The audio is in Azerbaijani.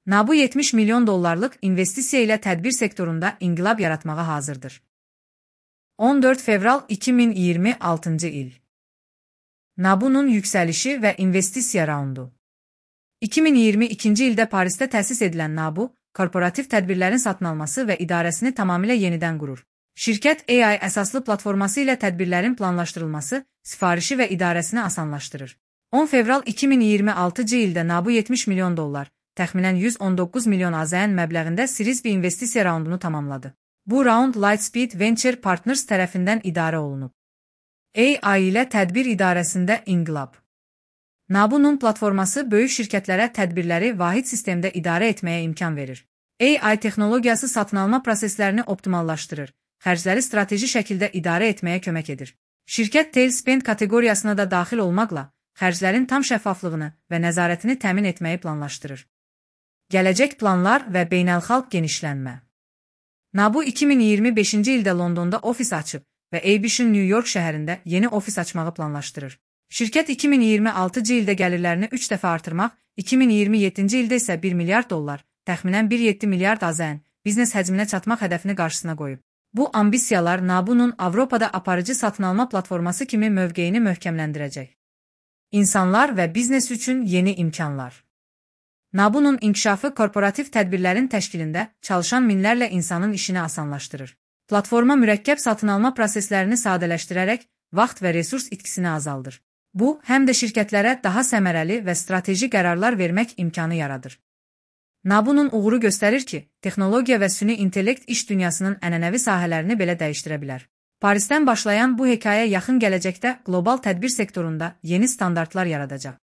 NABU 70 milyon dollarlıq investisiya ilə tədbir sektorunda inqilab yaratmağa hazırdır. 14 fevral 2026 il. NABU'nun yüksəlişi və investisiya raundu. 2022-ci ildə Parisdə təsis edilən NABU, korporativ tədbirlərin satın alması və idarəsini tamamilə yenidən qurur. Şirkət AI əsaslı platforması ilə tədbirlərin planlaşdırılması, sifarişi və idarəsini asanlaşdırır. 10 fevral 2026-cı ildə NABU 70 milyon dollar, təxminən 119 milyon AZN məbləğində Series B investisiya raundunu tamamladı. Bu raund Lightspeed Venture Partners tərəfindən idarə olunub. AI ilə tədbir idarəsində inqilab. NABU'nun platforması böyük şirkətlərə tədbirləri vahid sistemdə idarə etməyə imkan verir. AI texnologiyası satın alma proseslərini optimallaşdırır, xərcləri strateji şəkildə idarə etməyə kömək edir. Şirkət Tailspend kateqoriyasına da daxil olmaqla, xərclərin tam şəffaflığını və nəzarətini təmin etməyi planlaşdırır. Gələcək planlar və beynəlxalq genişlənmə. NABU 2025-ci ildə Londonda ofis açıb və ABC-in New York şəhərində yeni ofis açmağı planlaşdırır. Şirkət 2026-cı ildə gəlirlərini 3 dəfə artırmaq, 2027-ci ildə isə 1 milyard dollar, təxminən 1,7 milyard AZN, biznes həcminə çatmaq hədəfini qarşısına qoyub. Bu ambisiyalar NABU'nun Avropada aparıcı satın alma platforması kimi mövqeyini möhkəmləndirəcək. İnsanlar və biznes üçün yeni imkanlar. NABU'nun inkişafı korporativ tədbirlərin təşkilində çalışan minlərlə insanın işini asanlaşdırır. Platforma mürəkkəb satın alma proseslərini sadələşdirərək vaxt və resurs itkisini azaldır. Bu, həm də şirkətlərə daha səmərəli və strateji qərarlar vermək imkanı yaradır. NABU'nun uğuru göstərir ki, texnologiya və süni intellekt iş dünyasının ənənəvi sahələrini belə dəyişdirə bilər. Parisdən başlayan bu hekayə yaxın gələcəkdə qlobal tədbir sektorunda yeni standartlar yaradacaq.